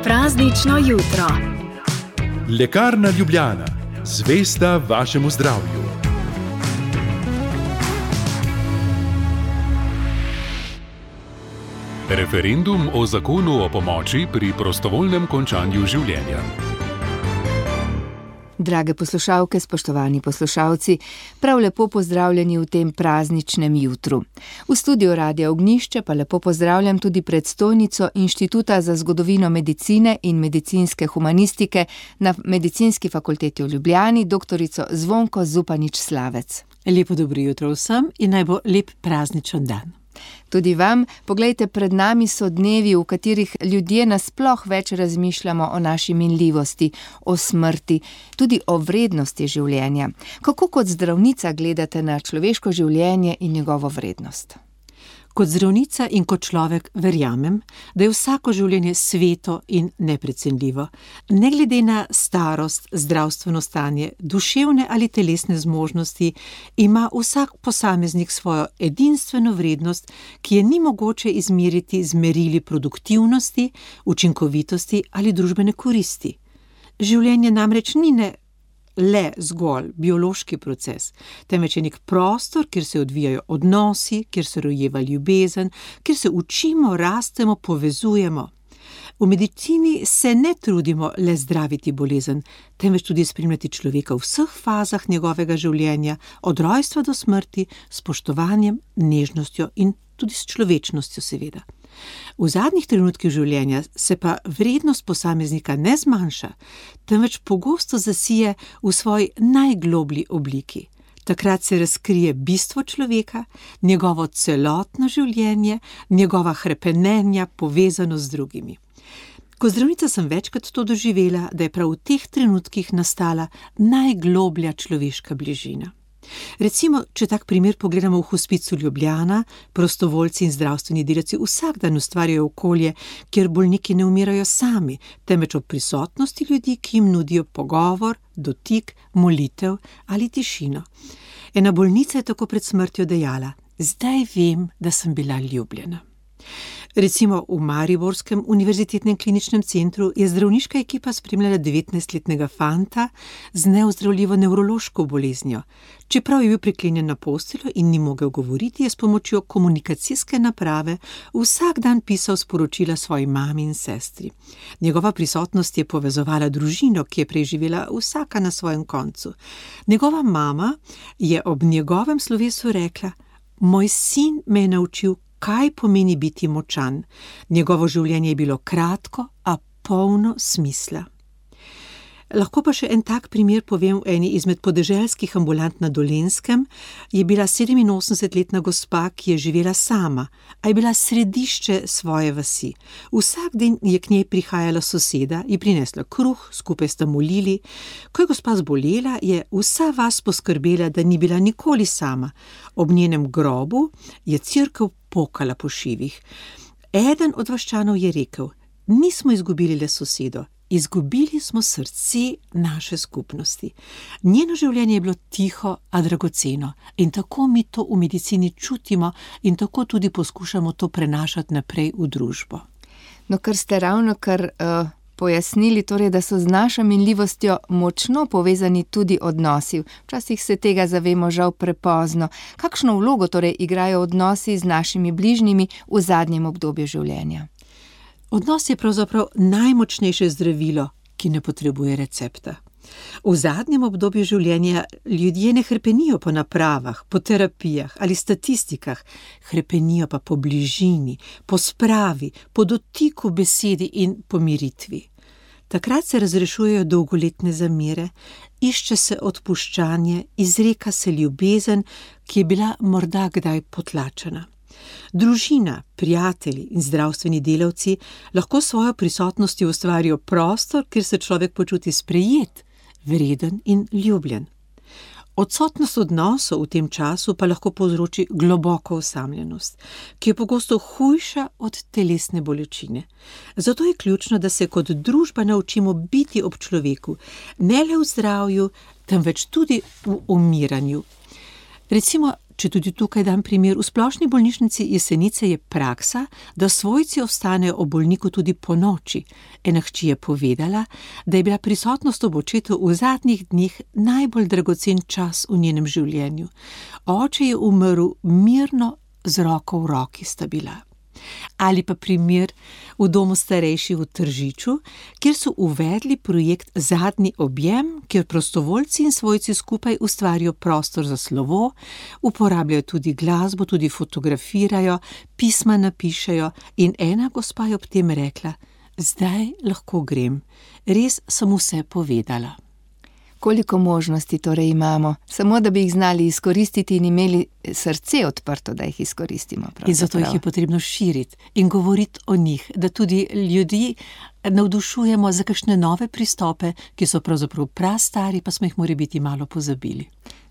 Praznično jutro. Lekarna Ljubljana, zvesta vašemu zdravju. Referendum o zakonu o pomoči pri prostovoljnem končanju življenja. Drage poslušalke, spoštovani poslušalci, prav lepo pozdravljeni v tem prazničnem jutru. V studiu Radia Ognjišče pa lepo pozdravljam tudi predstojnico Inštituta za zgodovino medicine in medicinske humanistike na Medicinski fakulteti v Ljubljani, doktorico Zvonko Zupanič-Slavec. Lepo dobro jutro vsem in naj bo lep prazničen dan. Tudi vam, poglejte, pred nami so dnevi, v katerih ljudje nasploh več razmišljamo o naši minljivosti, o smrti, tudi o vrednosti življenja. Kako kot zdravnica gledate na človeško življenje in njegovo vrednost? Kot zdravnica in kot človek verjamem, da je vsako življenje sveto in neprecenljivo. Ne glede na starost, zdravstveno stanje, duševne ali telesne zmožnosti, ima vsak posameznik svojo edinstveno vrednost, ki je ni mogoče izmeriti z merili produktivnosti, učinkovitosti ali družbene koristi. Življenje namreč ni le zgolj biološki proces, temveč je nek prostor, kjer se odvijajo odnosi, kjer se rojeva ljubezen, kjer se učimo, rastemo, povezujemo. V medicini se ne trudimo le zdraviti bolezen, temveč tudi spremljati človeka v vseh fazah njegovega življenja, od rojstva do smrti, s spoštovanjem, nežnostjo in tudi s človečnostjo seveda. V zadnjih trenutkih življenja se pa vrednost posameznika ne zmanjša, temveč pogosto zasije v svoji najgloblji obliki. Takrat se razkrije bistvo človeka, njegovo celotno življenje, njegova hrepenenja, povezanost z drugimi. Kot zdravnica sem večkrat to doživela, da je prav v teh trenutkih nastala najgloblja človeška bližina. Recimo, če tak primer pogledamo v hospicu Ljubljana, prostovoljci in zdravstveni delavci vsak dan ustvarjajo okolje, kjer bolniki ne umirajo sami, temveč ob prisotnosti ljudi, ki jim nudijo pogovor, dotik, molitev ali tišino. Ena bolnica je tako pred smrtjo dejala: "Zdaj vem, da sem bila ljubljena." Recimo v Mariborskem univerzitetnem kliničnem centru je zdravniška ekipa spremljala 19-letnega fanta z neozdravljivo nevrološko boleznijo. Čeprav je bil priklenjen na posteljo in ni mogel govoriti, je s pomočjo komunikacijske naprave vsak dan pisal sporočila svoji mami in sestri. Njegova prisotnost je povezovala družino, ki je preživela vsaka na svojem koncu. Njegova mama je ob njegovem slovesu rekla: "Moj sin me je naučil, kaj pomeni biti močan. Njegovo življenje je bilo kratko, a polno smisla." Lahko pa še en tak primer povem. V eni izmed podeželskih ambulant na Dolenjskem je bila 87-letna gospa, ki je živela sama, a je bila središče svoje vasi. Vsak dan je k njej prihajala soseda, ji prinesla kruh, skupaj sta molili. Ko je gospa zbolela, je vsa vas poskrbela, da ni bila nikoli sama. Ob njenem grobu je cerkev pokala po šivih. Eden od vaščanov je rekel: "Nismo izgubili le sosedo, izgubili smo srce naše skupnosti." Njeno življenje je bilo tiho, a dragoceno. In tako mi to v medicini čutimo in tako tudi poskušamo to prenašati naprej v družbo. No, kar ste ravnokar pojasnili, torej, da so z našo minljivostjo močno povezani tudi odnosi. Včasih se tega zavemo žal prepozno. Kakšno vlogo torej igrajo odnosi z našimi bližnjimi v zadnjem obdobju življenja? Odnos je pravzaprav najmočnejše zdravilo, ki ne potrebuje recepta. V zadnjem obdobju življenja ljudje ne hrepenijo po napravah, po terapijah ali statistikah, hrepenijo pa po bližini, po spravi, po dotiku besedi in pomiritvi. Takrat se razrešujejo dolgoletne zamere, išče se odpuščanje, izreka se ljubezen, ki je bila morda kdaj potlačena. Družina, prijatelji in zdravstveni delavci lahko svojo prisotnostjo ustvarijo prostor, kjer se človek počuti sprejet, vreden in ljubljen. Odsotnost odnosov v tem času pa lahko povzroči globoko osamljenost, ki je pogosto hujša od telesne bolečine. Zato je ključno, da se kot družba naučimo biti ob človeku, ne le v zdravju, temveč tudi v umiranju. Recimo, Če tudi tukaj dam primer, v Splošni bolnišnici Jesenice je praksa, da svojci ostanejo ob bolniku tudi po noči. Ena hči je povedala, da je bila prisotnost ob očetu v zadnjih dneh najbolj dragocen čas v njenem življenju. Oče je umrl mirno, z roko v roki sta bila. Ali pa primer v domu starejših v Tržiču, kjer so uvedli projekt Zadnji objem, kjer prostovoljci in svojci skupaj ustvarijo prostor za slovo, uporabljajo tudi glasbo, tudi fotografirajo, pisma napišejo in ena gospa je ob tem rekla: zdaj lahko grem, res sem vse povedala. Koliko možnosti torej imamo, samo da bi jih znali izkoristiti in imeli srce odprto, da jih izkoristimo. In zato jih je potrebno širiti in govoriti o njih, da tudi ljudi navdušujemo za kakšne nove pristope, ki so pravzaprav prastari, pa smo jih morebiti malo pozabili.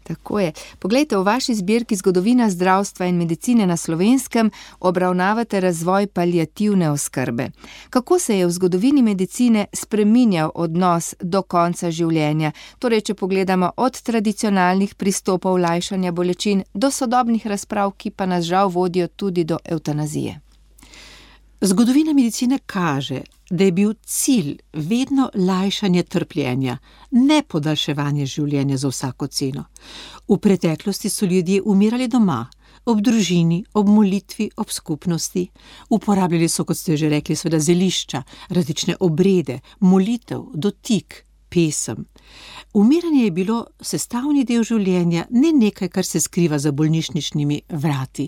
Tako je. Poglejte, v vaši zbirki Zgodovina zdravstva in medicine na Slovenskem obravnavate razvoj paliativne oskrbe. Kako se je v zgodovini medicine spreminjal odnos do konca življenja? Torej, če pogledamo od tradicionalnih pristopov lajšanja bolečin do sodobnih razprav, ki pa nas žal vodijo tudi do evtanazije. Zgodovina medicine kaže, da je bil cilj vedno lajšanje trpljenja, ne podaljševanje življenja za vsako ceno. V preteklosti so ljudje umirali doma, ob družini, ob molitvi, ob skupnosti. Uporabljali so, kot ste že rekli, seveda zelišča, različne obrede, molitev, dotik, pesem. Umiranje je bilo sestavni del življenja, ne nekaj, kar se skriva za bolnišničnimi vrati.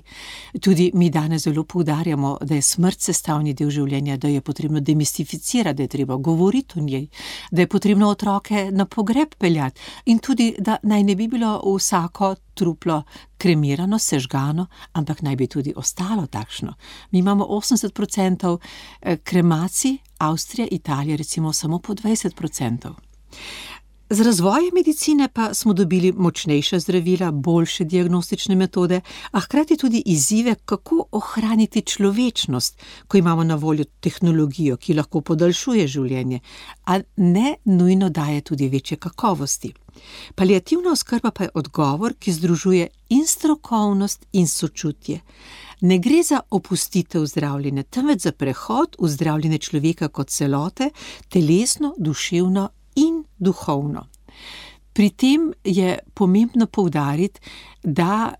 Tudi mi danes zelo poudarjamo, da je smrt sestavni del življenja, da je potrebno demistificirati, da je treba govoriti o njej, da je potrebno otroke na pogreb peljati in tudi, da naj ne bi bilo vsako truplo kremirano, sežgano, ampak naj bi tudi ostalo takšno. Mi imamo 80% kremacij, Avstrija, Italija recimo samo po 20%. Z razvojem medicine pa smo dobili močnejša zdravila, boljše diagnostične metode, a hkrati tudi izzive, kako ohraniti človečnost, ko imamo na voljo tehnologijo, ki lahko podaljšuje življenje, a ne nujno daje tudi večje kakovosti. Paliativna oskrba pa je odgovor, ki združuje in strokovnost in sočutje. Ne gre za opustitev zdravljenja, temveč za prehod v zdravljenje človeka kot celote, telesno, duševno in duhovno. Pri tem je pomembno poudariti, da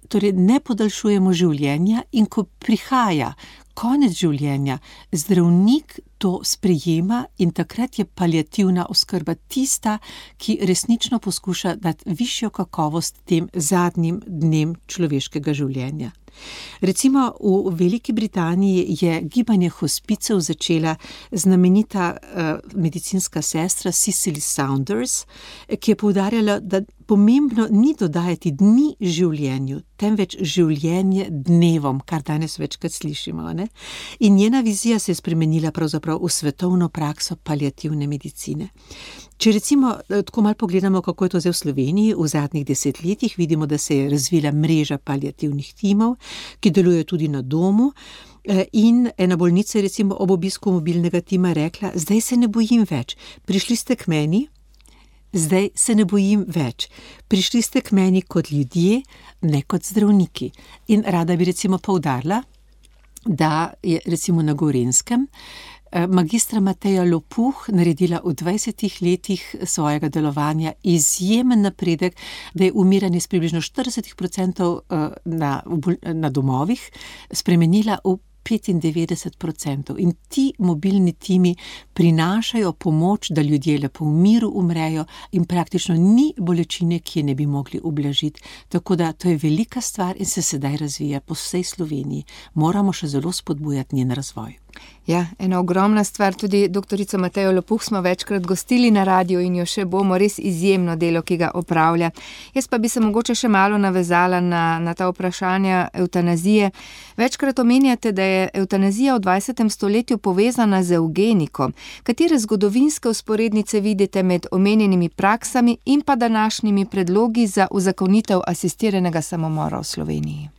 torej ne podaljšujemo življenja in ko prihaja konec življenja, zdravnik to sprejema in takrat je paliativna oskrba tista, ki resnično poskuša dati višjo kakovost tem zadnjim dnem človeškega življenja. Recimo v Veliki Britaniji je gibanje hospicev začela znamenita medicinska sestra Cicely Saunders, ki je poudarjala, da pomembno ni dodajati dni življenju, temveč življenje dnevom, kar danes večkrat slišimo, ne? In njena vizija se je spremenila pravzaprav v svetovno prakso paliativne medicine. Če recimo tako malo pogledamo, kako je to zdaj v Sloveniji, v zadnjih 10 letih vidimo, da se je razvila mreža paliativnih timov, ki delujejo tudi na domu, in ena bolnica je recimo ob obisku mobilnega tima rekla: zdaj se ne bojim več, prišli ste k meni, zdaj se ne bojim več, prišli ste k meni kot ljudje, ne kot zdravniki. In rada bi recimo poudarila, da je recimo na Gorenjskem magistra Mateja Lopuh naredila v 20 letih svojega delovanja izjemen napredek, da je umiranje s približno 40% na domovih spremenila v 95%. In ti mobilni timi prinašajo pomoč, da ljudje lepo v miru umrejo in praktično ni bolečine, ki je ne bi mogli ublažiti. Tako da to je velika stvar in se sedaj razvija po vsej Sloveniji. Moramo še zelo spodbujati njen razvoj. Ja, ena ogromna stvar, tudi doktorico Matejo Lopuh smo večkrat gostili na radiu in jo še bomo, res izjemno delo, ki ga opravlja. Jaz pa bi se mogoče še malo navezala na ta vprašanja evtanazije. Večkrat omenjate, da je evtanazija v 20. stoletju povezana z evgeniko. Katere zgodovinske vzporednice vidite med omenjenimi praksami in pa današnjimi predlogi za uzakonitev asistiranega samomora v Sloveniji?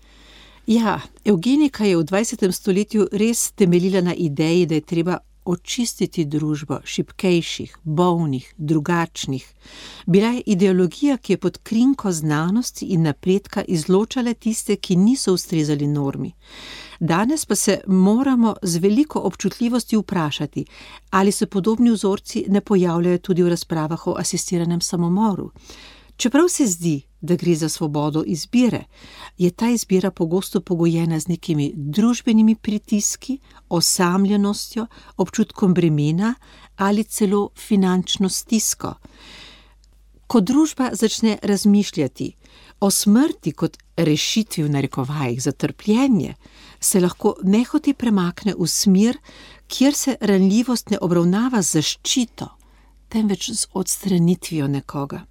Ja, evgenika je v 20. stoletju res temeljila na ideji, da je treba očistiti družbo šibkejših, bolnih, drugačnih. Bila je ideologija, ki je pod krinko znanosti in napredka izločala tiste, ki niso ustrezali normi. Danes pa se moramo z veliko občutljivosti vprašati, ali se podobni vzorci ne pojavljajo tudi v razpravah o asistiranem samomoru. Čeprav se zdi, da gre za svobodo izbire, je ta izbira pogosto pogojena z nekimi družbenimi pritiski, osamljenostjo, občutkom bremena ali celo finančno stisko. Ko družba začne razmišljati o smrti kot rešitvi v narekovajih za trpljenje, se lahko nehote premakne v smer, kjer se ranljivost ne obravnava z zaščito, temveč z odstranitvijo nekoga.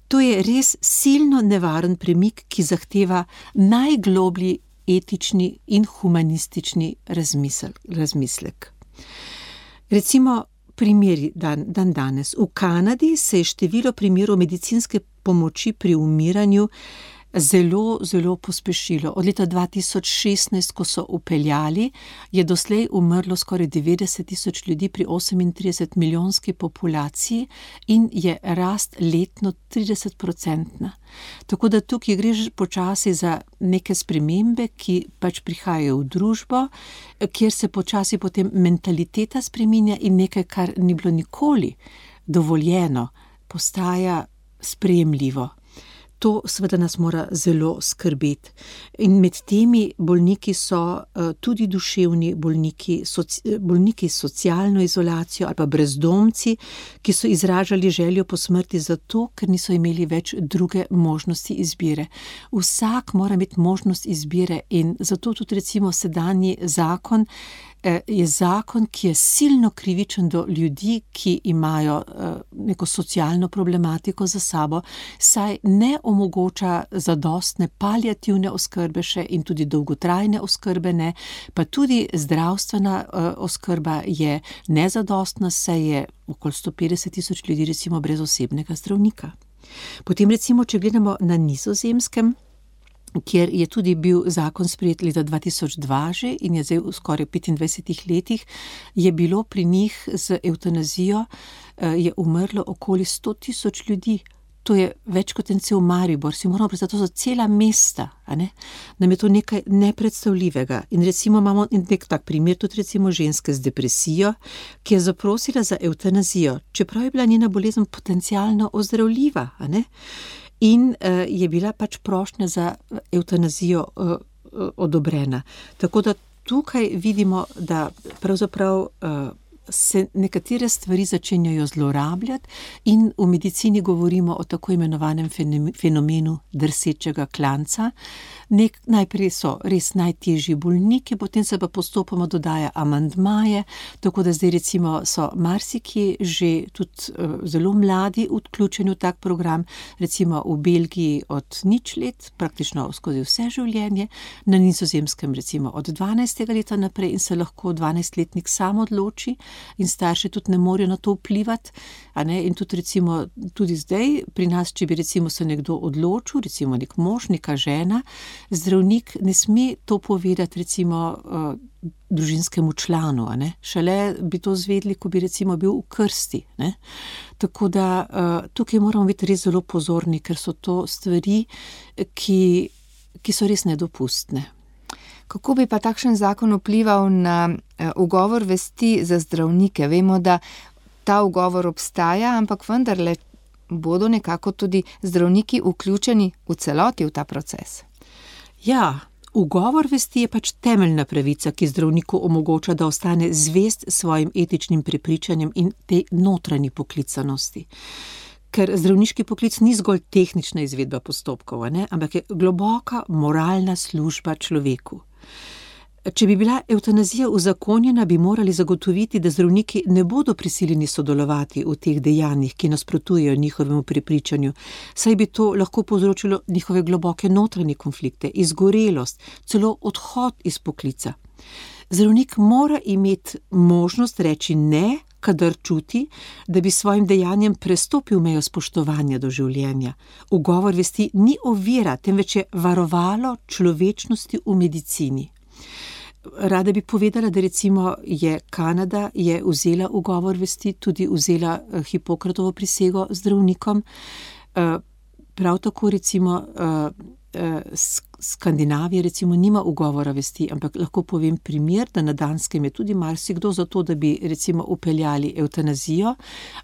To je res silno nevaren premik, ki zahteva najgloblji etični in humanistični razmislek. Recimo primeri danes. V Kanadi se je število primerov medicinske pomoči pri umiranju zelo, zelo pospešilo. Od leta 2016, ko so vpeljali, je doslej umrlo skoraj 90,000 ljudi pri 38 milijonski populaciji in je rast letno 30%. Tako da tukaj gre že počasi za neke spremembe, ki pač prihajajo v družbo, kjer se počasi potem mentaliteta spreminja in nekaj, kar ni bilo nikoli dovoljeno, postaja sprejemljivo. To seveda nas mora zelo skrbeti. In med temi bolniki so tudi duševni bolniki, bolniki s socialno izolacijo ali pa brezdomci, ki so izražali željo po smrti zato, ker niso imeli več druge možnosti izbire. Vsak mora imeti možnost izbire in zato tudi recimo sedanji zakon je zakon, ki je silno krivičen do ljudi, ki imajo neko socialno problematiko za sabo, saj ne omogoča zadostne paliativne oskrbe še in tudi dolgotrajne oskrbe ne, pa tudi zdravstvena oskrba je nezadostna, saj je okoli 150,000 ljudi recimo brez osebnega zdravnika. Potem recimo, če gledamo na Nizozemskem, kjer je tudi bil zakon sprejet leta 2002 že in je zdaj v skoraj 25 letih, je bilo pri njih z evtanazijo je umrlo okoli 100,000 ljudi. To je več kot en cel Maribor, si moramo predstaviti, to so cela mesta, a ne? Nam je to nekaj nepredstavljivega. In recimo imamo nek tak primer tudi recimo ženske z depresijo, ki je zaprosila za evtanazijo, čeprav je bila njena bolezen potencialno ozdravljiva, a ne? In je bila pač prošnja za evtanazijo odobrena. Tako da tukaj vidimo, da pravzaprav se nekatere stvari začenjajo zlorabljati in v medicini govorimo o tako imenovanem fenomenu drsečega klanca. Najprej so res najtežji bolniki, potem se pa postopoma dodaja amandmaje, tako da zdaj recimo so marsikje že tudi zelo mladi vključeni v tak program, recimo v Belgiji od 0 let, praktično skozi vse življenje, na Nizozemskem recimo od 12. leta naprej in se lahko 12-letnik sam odloči in starši tudi ne morejo na to vplivati, a ne, in tudi recimo tudi zdaj pri nas, če bi recimo se nekdo odločil, recimo nek mož, neka žena, zdravnik ne sme to povedati recimo družinskemu članu, a ne, šele bi to zvedli, ko bi recimo bil v krsti, ne. Tako da tukaj moramo biti res zelo pozorni, ker so to stvari, ki so res nedopustne. Kako bi pa takšen zakon vplival na ugovor vesti za zdravnike? Vemo, da ta ugovor obstaja, ampak vendarle bodo nekako tudi zdravniki vključeni v celoti v ta proces. Ja, ugovor vesti je pač temeljna pravica, ki zdravniku omogoča, da ostane zvest svojim etičnim prepričanjem in tej notranji poklicanosti. Ker zdravniški poklic ni zgolj tehnična izvedba postopkov, ne, ampak je globoka moralna služba človeku. Če bi bila evtanazija uzakonjena, bi morali zagotoviti, da zdravniki ne bodo prisiljeni sodelovati v teh dejanjih, ki nasprotujejo njihovemu prepričanju, saj bi to lahko povzročilo njihove globoke notranje konflikte, izgorelost, celo odhod iz poklica. Zdravnik mora imeti možnost reči ne, kadar čuti, da bi svojim dejanjem prestopil mejo spoštovanja do življenja. Ugovor vesti ni ovira, temveč je varovalo človečnosti v medicini. Rada bi povedala, da recimo je Kanada vzela ugovor vesti, tudi vzela Hipokratovo prisego zdravnikom. Prav tako recimo Skandinavija recimo nima ugovora vesti, ampak lahko povem primer, da na Danskem je tudi marsikdo za to, da bi recimo upeljali evtanazijo,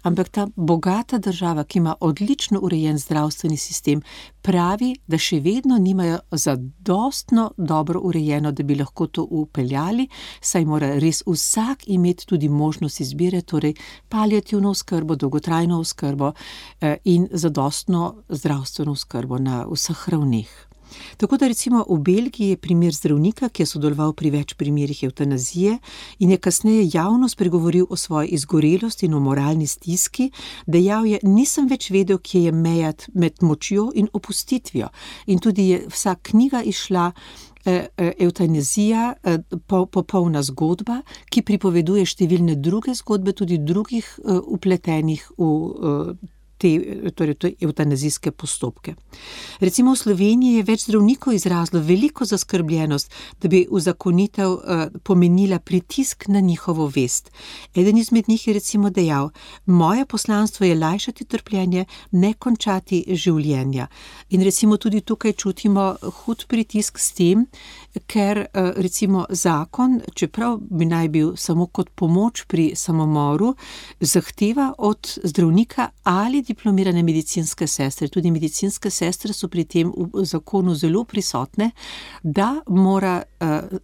ampak ta bogata država, ki ima odlično urejen zdravstveni sistem, pravi, da še vedno nimajo zadostno dobro urejeno, da bi lahko to upeljali, saj mora res vsak imeti tudi možnost izbire, torej paliativno oskrbo, dolgotrajno oskrbo in zadostno zdravstveno oskrbo na vseh ravneh. Tako da recimo v Belgiji je primer zdravnika, ki je sodeloval pri več primerih evtanazije in je kasneje javno spregovoril o svoji izgorelosti in o moralni stiski, dejal je, nisem več vedel, kje je meja med močjo in opustitvijo. In tudi je vsa knjiga izšla Evtanazija, popolna zgodba, ki pripoveduje številne druge zgodbe, tudi drugih vpletenih v te evtanazijske postopke. Recimo v Sloveniji je več zdravnikov izrazilo veliko zaskrbljenost, da bi uzakonitev pomenila pritisk na njihovo vest. Eden izmed njih je recimo dejal, moje poslanstvo je lajšati trpljenje, ne končati življenja. In recimo tudi tukaj čutimo hud pritisk s tem, ker recimo zakon, čeprav bi naj bil samo kot pomoč pri samomoru, zahteva od zdravnika ali diplomirane medicinske sestre, tudi medicinske sestre so pri tem v zakonu zelo prisotne, da mora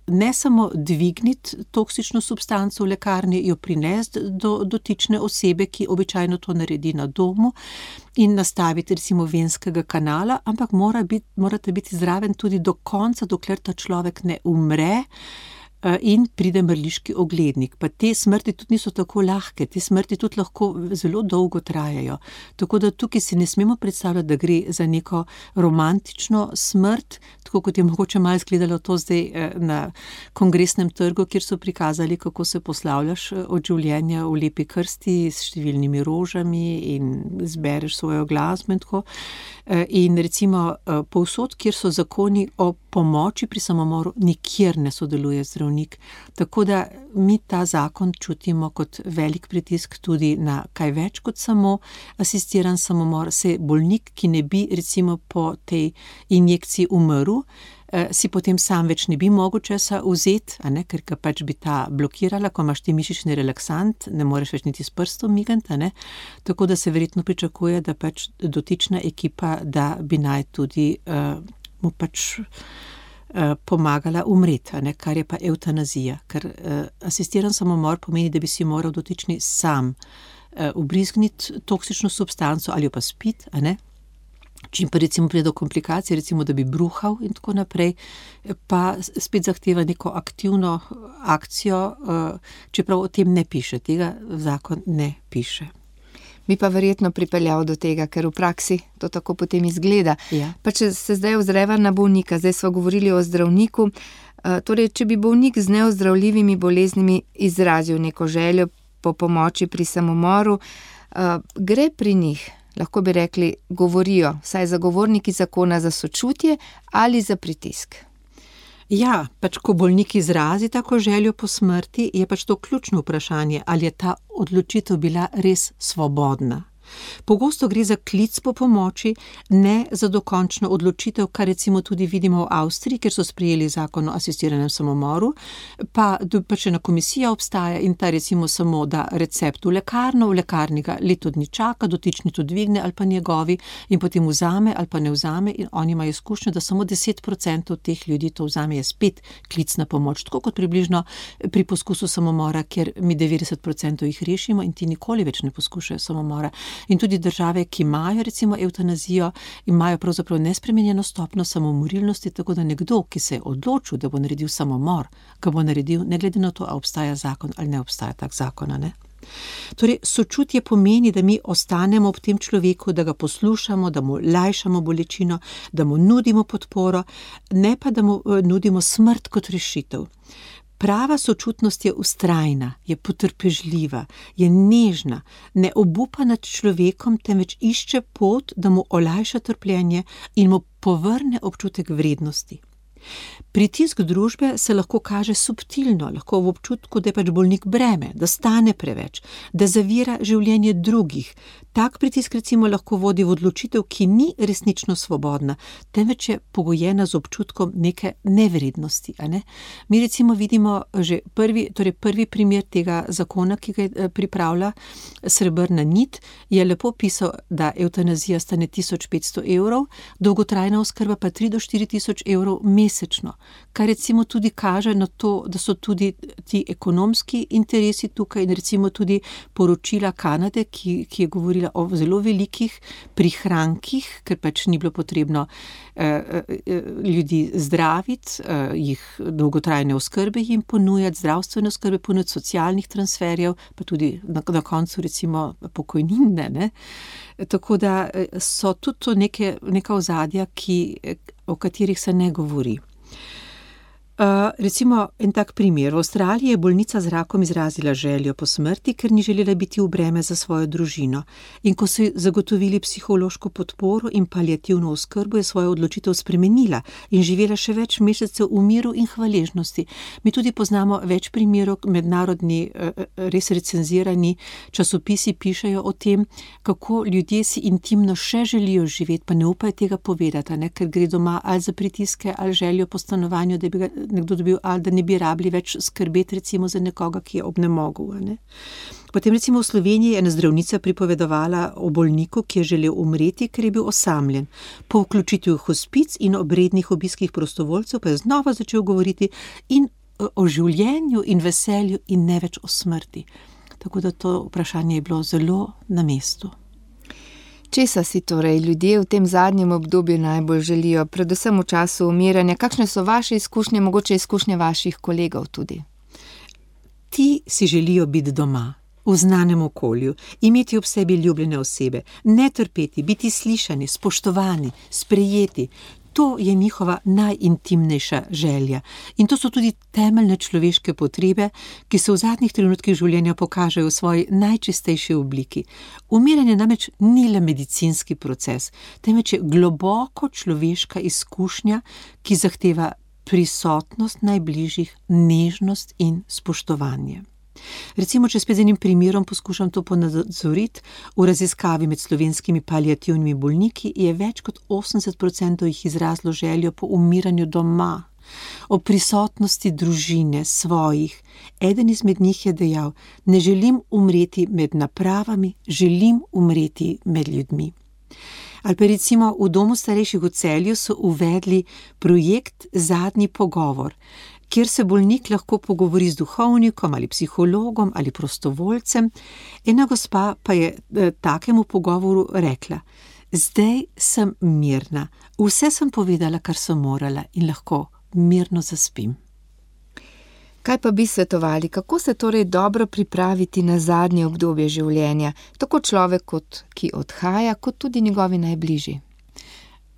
ne samo dvigniti toksično substanco v lekarni, jo prinesti do dotične osebe, ki običajno to naredi na domu, in nastaviti recimo venskega kanala, ampak morate biti zraven tudi do konca, dokler ta človek ne umre in pride mrliški oglednik. Pa te smrti tudi niso tako lahke, te smrti tudi lahko zelo dolgo trajajo. Tako da tukaj si ne smemo predstavljati, da gre za neko romantično smrt, tako kot je mogoče malo izgledalo to zdaj na Kongresnem trgu, kjer so prikazali, kako se poslavljaš od življenja v lepi krsti s številnimi rožami in zbereš svojo glasbo in tako. In recimo povsod, kjer so zakoni o pomoči pri samomoru, nikjer ne sodeluje zdravnik. Tako da mi ta zakon čutimo kot velik pritisk tudi na kaj več kot samo asistiran samomor. Se bolnik, ki ne bi recimo po tej injekciji umrl, si potem sam več ne bi mogel česa vzeti, ker ga pač bi ta blokirala, ko imaš ti mišični relaksant, ne moreš več niti s prstom migati, tako da se verjetno pričakuje, da pač dotična ekipa, da bi naj tudi mu pač pomagala umreti, kar je pa evtanazija, ker asistiran samomor pomeni, da bi si moral dotični sam ubrizgniti toksično substanco ali jo pa spiti, Čim pa recimo pride do komplikacij, recimo da bi bruhal in tako naprej, pa spet zahteva neko aktivno akcijo, čeprav o tem ne piše, tega zakon ne piše. Bi pa verjetno pripeljal do tega, ker v praksi to tako potem izgleda. Ja. Pa če se zdaj ozreva na bolnika, zdaj smo govorili o zdravniku, torej če bi bolnik z neozdravljivimi boleznimi izrazil neko željo po pomoči pri samomoru, gre pri njih, lahko bi rekli, govorijo, saj zagovorniki zakona za sočutje ali za pritisk. Ja, pač ko bolnik izrazi tako željo po smrti, je pač to ključno vprašanje, ali je ta odločitev bila res svobodna. Pogosto gre za klic po pomoči, ne za dokončno odločitev, kar recimo tudi vidimo v Avstriji, kjer so sprejeli zakon o asistiranem samomoru, pa če ena komisija obstaja in ta recimo samo da recept v lekarno, v lekarni ga leto dni čaka, dotični to dvigne ali pa njegovi in potem vzame ali pa ne vzame in oni imajo izkušnjo, da samo 10% teh ljudi to vzame, je spet klic na pomoč, tako kot približno pri poskusu samomora, kjer mi 90% jih rešimo in ti nikoli več ne poskušajo samomora. In tudi države, ki imajo recimo evtanazijo, imajo pravzaprav nespremenjeno stopnjo samomorilnosti, tako da nekdo, ki se je odločil, da bo naredil samomor, ga bo naredil, ne glede na to, ali obstaja zakon ali ne obstaja tak zakon, Torej, sočutje pomeni, da mi ostanemo ob tem človeku, da ga poslušamo, da mu lajšamo bolečino, da mu nudimo podporo, ne pa da mu nudimo smrt kot rešitev. Prava sočutnost je vztrajna, je potrpežljiva, je nežna, ne obupa nad človekom, temveč išče pot, da mu olajša trpljenje in mu povrne občutek vrednosti. Pritisk družbe se lahko kaže subtilno, lahko v občutku, da je pač bolnik breme, da stane preveč, da zavira življenje drugih. Tak pritisk recimo lahko vodi v odločitev, ki ni resnično svobodna, temveč je pogojena z občutkom neke nevrednosti. Ne? Mi recimo vidimo že prvi primer tega zakona, ki ga pripravlja Srebrna nit, je lepo pisal, da evtanazija stane 1500 €, dolgotrajna oskrba pa 3 do 4 tisoč € mesečno, kar recimo tudi kaže na to, da so tudi ti ekonomski interesi tukaj in recimo tudi poročila Kanade, ki je govorila o zelo velikih prihrankih, ker pač ni bilo potrebno ljudi zdraviti, jih dolgotrajne oskrbe jim ponujati, zdravstvene oskrbe ponujati, socialnih transferjev, pa tudi na koncu recimo pokojnine, ne. Tako da so tudi to neka ozadja, o katerih se ne govori. Recimo en tak primer. V Avstraliji je bolnica z rakom izrazila željo po smrti, ker ni želela biti v breme za svojo družino. In ko so zagotovili psihološko podporo in paliativno oskrbo, je svojo odločitev spremenila in živela še več mesecev v miru in hvaležnosti. Mi tudi poznamo več primerov, mednarodni, res recenzirani časopisi pišejo o tem, kako ljudje si intimno še želijo živeti, pa ne upajo tega povedati, ne? Ker gre doma ali za pritiske, ali željo po stanovanju, da bi ga nekdo dobil, ali da ne bi rabili več skrbeti recimo za nekoga, ki je obnemogel. Ne? Potem recimo v Sloveniji je ena zdravnica pripovedovala o bolniku, ki je želel umreti, ker je bil osamljen. Po vključitvi v hospic in ob rednih obiskih prostovoljcev pa je znova začel govoriti in o življenju in veselju in ne več o smrti. Tako da to vprašanje je bilo zelo na mestu. Česa si torej ljudje v tem zadnjem obdobju najbolj želijo, predvsem v času umiranja? Kakšne so vaše izkušnje, mogoče izkušnje vaših kolegov tudi? Ti si želijo biti doma, v znanem okolju, imeti ob sebi ljubljene osebe, ne trpeti, biti slišani, spoštovani, sprejeti. To je njihova najintimnejša želja. In to so tudi temeljne človeške potrebe, ki se v zadnjih trenutkih življenja pokažejo v svoji najčistejši obliki. Umiranje namreč ni le medicinski proces, temveč je globoko človeška izkušnja, ki zahteva prisotnost najbližjih, nežnost in spoštovanje. Recimo, če spet z enim primerom poskušam to ponazoriti, v raziskavi med slovenskimi paliativnimi bolniki je več kot 80% jih izrazilo željo po umiranju doma, o prisotnosti družine, svojih. Eden izmed njih je dejal: ne želim umreti med napravami, želim umreti med ljudmi. Ali pa recimo v domu starejših v Celju so uvedli projekt Zadnji pogovor, kjer se bolnik lahko pogovori z duhovnikom ali psihologom ali prostovoljcem. Ena gospa pa je takemu pogovoru rekla: zdaj sem mirna, vse sem povedala, kar sem morala in lahko mirno zaspim. Kaj pa bi svetovali, kako se torej dobro pripraviti na zadnje obdobje življenja, tako človek, ki odhaja, kot tudi njegovi najbližji?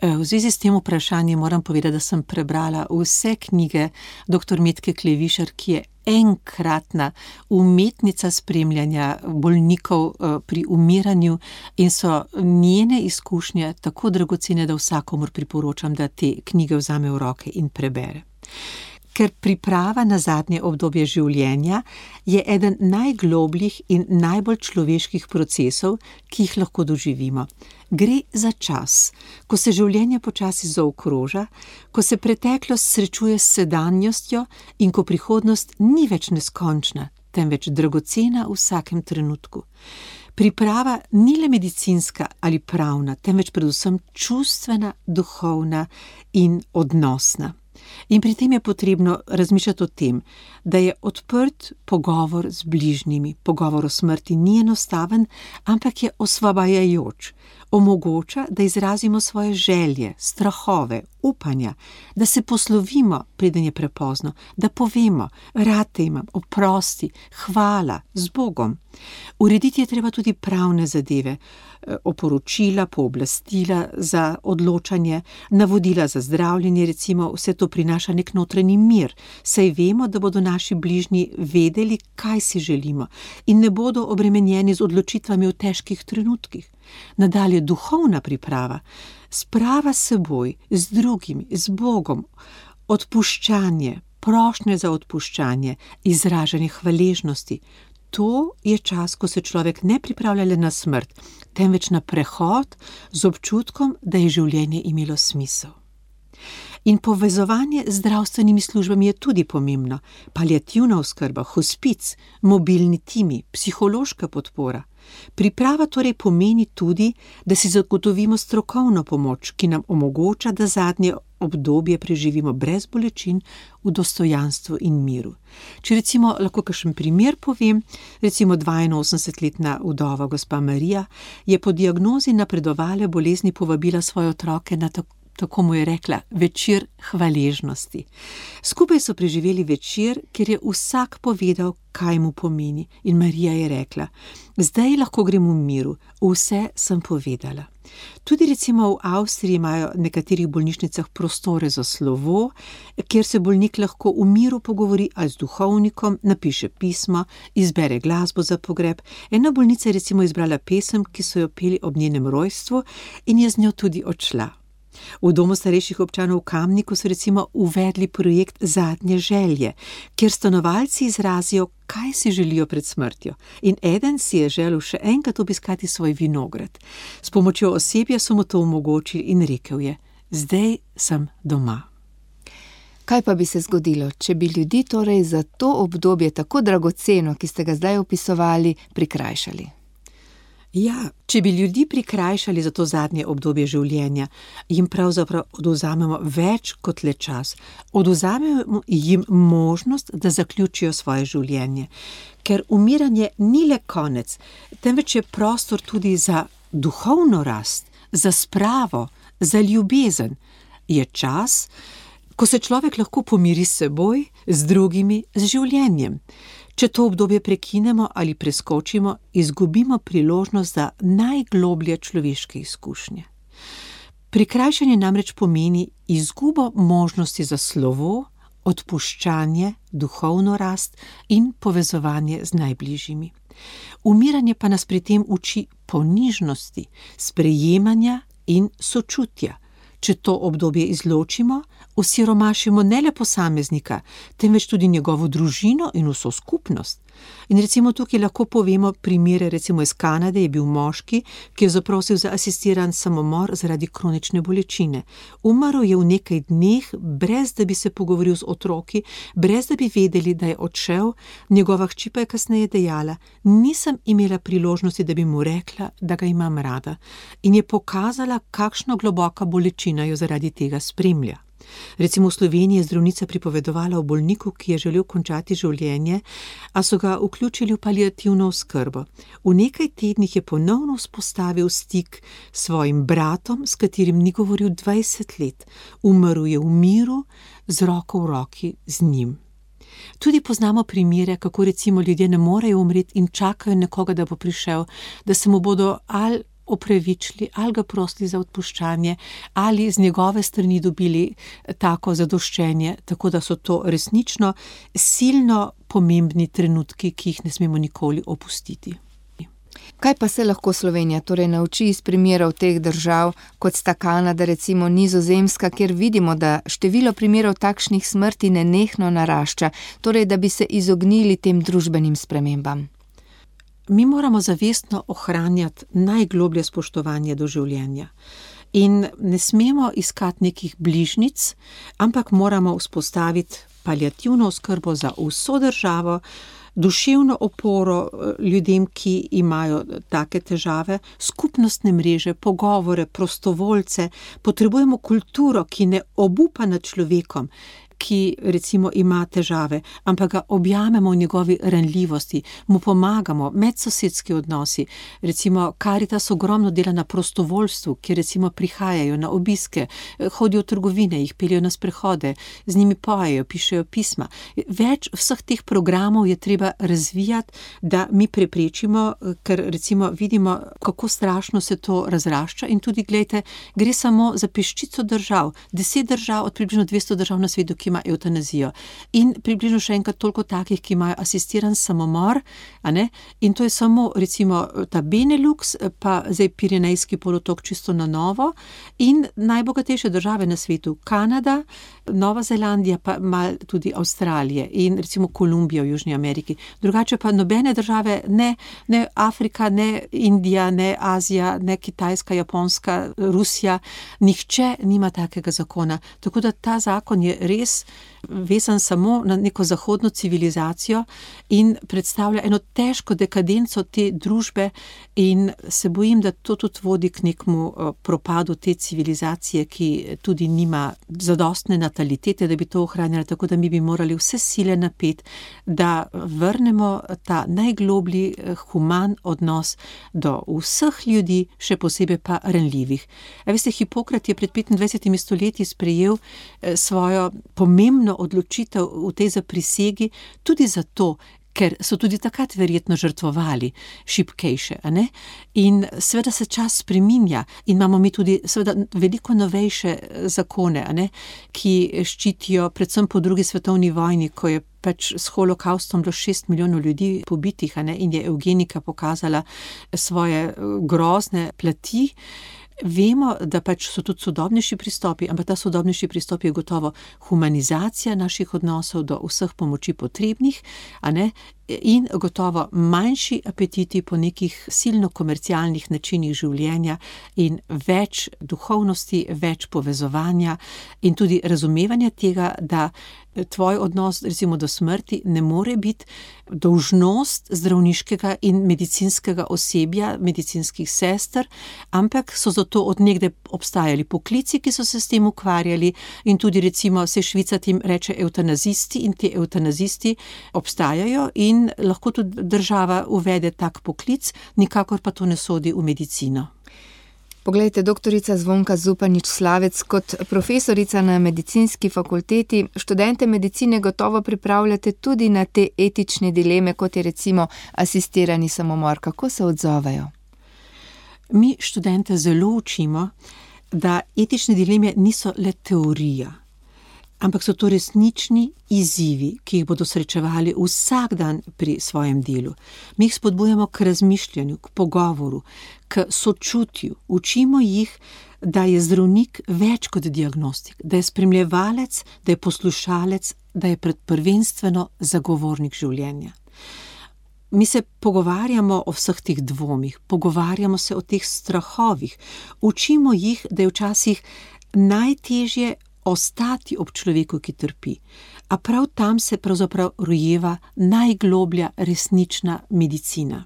V zvezi s tem vprašanjem moram povedati, da sem prebrala vse knjige dr. Metke Klevišar, ki je enkratna umetnica spremljanja bolnikov pri umiranju in so njene izkušnje tako dragocene, da vsakomur priporočam, da te knjige vzame v roke in prebere. Ker priprava na zadnje obdobje življenja je eden najglobljih in najbolj človeških procesov, ki jih lahko doživimo. Gre za čas, ko se življenje počasi zaokroža, ko se preteklost srečuje s sedanjostjo in ko prihodnost ni več neskončna, temveč dragocena v vsakem trenutku. Priprava ni le medicinska ali pravna, temveč predvsem čustvena, duhovna in odnosna. In pri tem je potrebno razmišljati o tem, da je odprt pogovor z bližnjimi. Pogovor o smrti ni enostaven, ampak je osvobajajoč. Omogoča, da izrazimo svoje želje, strahove, upanja, da se poslovimo, preden je prepozno, da povemo: rad te imam, oprosti, hvala, z Bogom. Urediti je treba tudi pravne zadeve, oporočila, pooblastila za odločanje, navodila za zdravljenje, recimo vse to prinaša nek notranji mir, saj vemo, da bodo naši bližnji vedeli, kaj si želimo in ne bodo obremenjeni z odločitvami v težkih trenutkih. Nadalje duhovna priprava, sprava s seboj, z drugimi, z Bogom, Odpuščanje, prošnje za odpuščanje, izražanje hvaležnosti. To je čas, ko se človek ne pripravlja le na smrt, temveč na prehod z občutkom, da je življenje imelo smisel. In povezovanje z zdravstvenimi službami je tudi pomembno. Paliativna oskrba, hospic, mobilni timi, psihološka podpora. Priprava torej pomeni tudi, da si zagotovimo strokovno pomoč, ki nam omogoča, da zadnje obdobje preživimo brez bolečin, v dostojanstvu in miru. Če recimo lahko kakšen primer povem, recimo 82-letna vdova gospa Marija je po diagnozi napredovale bolezni povabila svoje otroke na tako mu je rekla, večer hvaležnosti. Skupaj so preživeli večer, kjer je vsak povedal, kaj mu pomeni. In Marija je rekla, zdaj lahko grem v miru, vse sem povedala. Tudi recimo v Avstriji imajo v nekaterih bolnišnicah prostore za slovo, kjer se bolnik lahko v miru pogovori ali z duhovnikom, napiše pismo, izbere glasbo za pogreb. Ena bolnica je recimo izbrala pesem, ki so jo peli ob njenem rojstvu in je z njo tudi odšla. V domu starejših občanov v Kamniku so recimo uvedli projekt Zadnje želje, kjer stanovalci izrazijo, kaj si želijo pred smrtjo. In eden si je želel še enkrat obiskati svoj vinograd. S pomočjo osebja so mu to omogočili in rekel je, zdaj sem doma. Kaj pa bi se zgodilo, če bi ljudi torej za to obdobje tako dragoceno, ki ste ga zdaj opisovali, prikrajšali? Ja, če bi ljudi prikrajšali za to zadnje obdobje življenja, jim pravzaprav odvzamemo več kot le čas. Odvzamemo jim možnost, da zaključijo svoje življenje. Ker umiranje ni le konec, temveč je prostor tudi za duhovno rast, za spravo, za ljubezen. Je čas, ko se človek lahko pomiri s seboj, z drugimi, z življenjem. Če to obdobje prekinemo ali preskočimo, izgubimo priložnost za najgloblje človeške izkušnje. Prikrajšanje namreč pomeni izgubo možnosti za slovo, odpuščanje, duhovno rast in povezovanje z najbližjimi. Umiranje pa nas pri tem uči ponižnosti, sprejemanja in sočutja. Če to obdobje izločimo, osiromašimo ne le posameznika, temveč tudi njegovo družino in vso skupnost. In recimo tukaj lahko povemo primere, recimo iz Kanade je bil moški, ki je zaprosil za asistiran samomor zaradi kronične bolečine. Umrl je v nekaj dneh, brez da bi se pogovoril z otroki, brez da bi vedeli, da je odšel, njegova hči pa je kasneje dejala, nisem imela priložnosti, da bi mu rekla, da ga imam rada. In je pokazala, kakšno globoka bolečina jo zaradi tega spremlja. Recimo v Sloveniji je zdravnica pripovedovala o bolniku, ki je želel končati življenje, a so ga vključili v paliativno oskrbo. V nekaj tednih je ponovno vzpostavil stik s svojim bratom, s katerim ni govoril 20 let. Umrl je v miru, z roko v roki z njim. Tudi poznamo primere, kako recimo ljudje ne morejo umreti in čakajo nekoga, da bo prišel, da se mu bodo ali opravičili, ali ga prosili za odpuščanje, ali z njegove strani dobili tako zadoščenje, tako da so to resnično silno pomembni trenutki, ki jih ne smemo nikoli opustiti. Kaj pa se lahko Slovenija torej nauči iz primerov teh držav, kot sta Kanada, recimo Nizozemska, kjer vidimo, da število primerov takšnih smrti nenehno narašča, torej da bi se izognili tem družbenim spremembam? Mi moramo zavestno ohranjati najgloblje spoštovanje do življenja. In ne smemo iskati nekih bližnic, ampak moramo vzpostaviti paliativno oskrbo za vso državo, duševno oporo ljudem, ki imajo take težave, skupnostne mreže, pogovore, prostovoljce. Potrebujemo kulturo, ki ne obupa nad človekom, ki recimo ima težave, ampak ga objamemo v njegovi ranljivosti, mu pomagamo, medsosedski odnosi. Recimo Karitas ogromno dela na prostovoljstvu, ki recimo prihajajo na obiske, hodijo v trgovine, jih peljejo na sprehode, z njimi pojejo, pišejo pisma. Več vseh teh programov je treba razvijati, da mi preprečimo, ker recimo vidimo, kako strašno se to razrašča in tudi, glejte, gre samo za peščico držav, 10 držav od približno 200 držav na svetu, ki ki ima evtanazijo. In približno še enkrat toliko takih, ki imajo asistiran samomor, a ne? In to je samo recimo ta Benelux, pa zdaj Pirenejski polotok čisto na novo in najbogatejše države na svetu, Kanada, Nova Zelandija, pa malo tudi Avstralije in recimo Kolumbija v Južni Ameriki. Drugače pa nobene države, ne Afrika, ne Indija, ne Azija, ne Kitajska, Japonska, Rusija, nihče nima takega zakona. Tako da ta zakon je res vezan samo na neko zahodno civilizacijo in predstavlja eno težko dekadenco te družbe in se bojim, da to tudi vodi k nekmu propadu te civilizacije, ki tudi nima zadostne natalitete, da bi to ohranjala, tako da mi bi morali vse sile napeti, da vrnemo ta najgloblji human odnos do vseh ljudi, še posebej pa ranljivih. Veste, Hipokrat je pred 25 stoletji sprejel svojo pomembno odločitev v tej zaprisegi tudi zato, ker so tudi takrat verjetno žrtvovali šibkejše, a ne? In seveda se čas spreminja in imamo mi tudi seveda veliko novejše zakone, a ne? Ki ščitijo predvsem po drugi svetovni vojni, ko je pač s holokaustom bilo 6 milijonov ljudi pobitih, a ne? In je evgenika pokazala svoje grozne plati. Vemo, da pač so tudi sodobnejši pristopi, ampak ta sodobnejši pristop je gotovo humanizacija naših odnosov do vseh pomoči potrebnih, a ne? In gotovo manjši apetiti po nekih silno komercialnih načinih življenja in več duhovnosti, več povezovanja in tudi razumevanja tega, da tvoj odnos recimo do smrti ne more biti dolžnost zdravniškega in medicinskega osebja, medicinskih sester, ampak so zato od nekdaj obstajali poklici, ki so se s tem ukvarjali in tudi recimo se Švica tem reče evtanazisti in ti evtanazisti obstajajo in lahko tudi država uvede tak poklic, nikakor pa to ne sodi v medicino. Poglejte, doktorica Zvonka Zupanič-Slavec, kot profesorica na medicinski fakulteti, študente medicine gotovo pripravljate tudi na te etične dileme, kot je recimo asistirani samomor. Kako se odzovejo? Mi študente zelo učimo, da etične dileme niso le teorija, ampak so to resnični izzivi, ki jih bodo srečevali vsak dan pri svojem delu. Mi jih spodbujamo k razmišljanju, k pogovoru, k sočutju. Učimo jih, da je zdravnik več kot diagnostik, da je spremljevalec, da je poslušalec, da je prvenstveno zagovornik življenja. Mi se pogovarjamo o vseh teh dvomih, pogovarjamo se o teh strahovih. Učimo jih, da je včasih najtežje ostati ob človeku, ki trpi. A prav tam se pravzaprav rojeva najgloblja resnična medicina.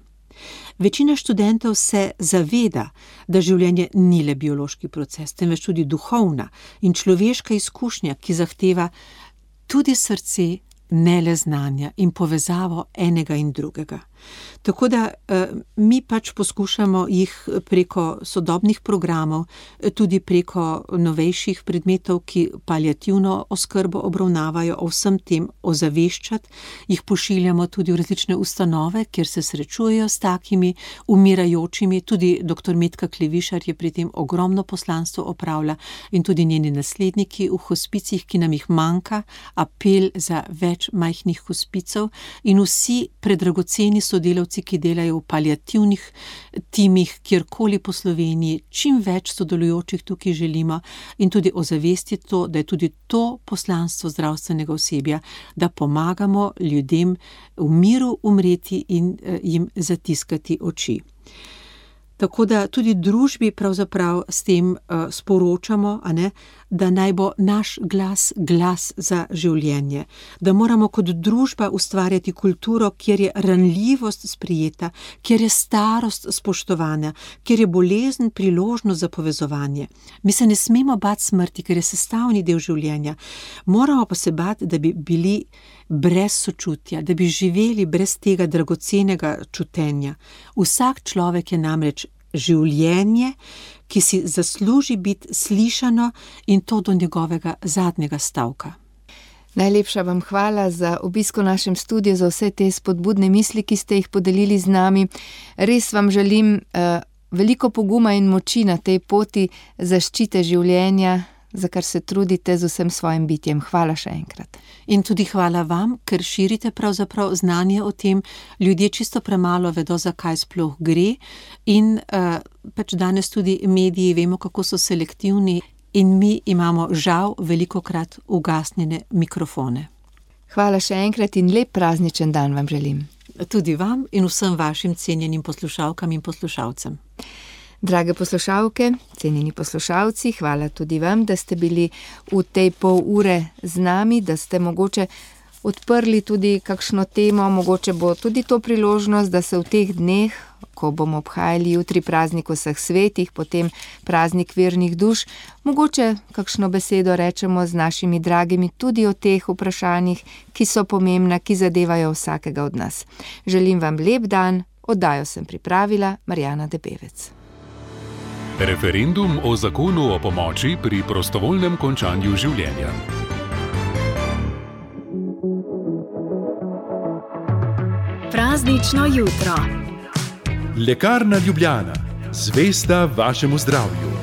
Večina študentov se zaveda, da življenje ni le biološki proces, temveč tudi duhovna in človeška izkušnja, ki zahteva tudi srce, ne le znanja in povezavo enega in drugega. Tako da mi pač poskušamo jih preko sodobnih programov, tudi preko novejših predmetov, ki paliativno oskrbo obravnavajo, o vsem tem ozaveščati, jih pošiljamo tudi v različne ustanove, kjer se srečujejo s takimi umirajočimi, tudi dr. Metka Klevišar je pri tem ogromno poslanstvo opravlja in tudi njeni nasledniki v hospicih, ki nam jih manjka, apel za več majhnih hospicov in vsi predragoceni sodelavci, ki delajo v paliativnih timih, kjerkoli po Sloveniji, čim več sodelujočih tukaj želimo in tudi ozavestiti to, da je tudi to poslanstvo zdravstvenega osebja, da pomagamo ljudem v miru umreti in jim zatiskati oči. Tako da tudi družbi pravzaprav s tem sporočamo, a ne, da naj bo naš glas glas za življenje, da moramo kot družba ustvarjati kulturo, kjer je ranljivost sprijeta, kjer je starost spoštovana, kjer je bolezen priložnost za povezovanje. Mi se ne smemo bati smrti, ker je sestavni del življenja. Moramo pa se bati, da bi bili brez sočutja, da bi živeli brez tega dragocenega čutenja. Vsak človek je namreč življenje, ki si zasluži biti slišano in to do njegovega zadnjega stavka. Najlepša vam hvala za obisk v našem studiu, za vse te spodbudne misli, ki ste jih podelili z nami. Res vam želim veliko poguma in moči na tej poti zaščite življenja, za kar se trudite z vsem svojim bitjem. Hvala še enkrat. In tudi hvala vam, ker širite pravzaprav znanje o tem. Ljudje čisto premalo vedo, zakaj sploh gre, in pač danes tudi mediji vemo, kako so selektivni, in mi imamo žal velikokrat ugasnjene mikrofone. Hvala še enkrat in lep prazničen dan vam želim. Tudi vam in vsem vašim cenjenim poslušalkam in poslušalcem. Drage poslušalke, cenjeni poslušalci, hvala tudi vam, da ste bili v tej pol ure z nami, da ste mogoče odprli tudi kakšno temo, mogoče bo tudi to priložnost, da se v teh dneh, ko bomo obhajali jutri praznik vseh svetih, potem praznik vernih duš, mogoče kakšno besedo rečemo z našimi dragimi tudi o teh vprašanjih, ki so pomembna, ki zadevajo vsakega od nas. Želim vam lep dan, oddajo sem pripravila Marjana Debevec. Referendum o zakonu o pomoči pri prostovoljnem končanju življenja. Praznično jutro. Lekarna Ljubljana, zvesta vašemu zdravju.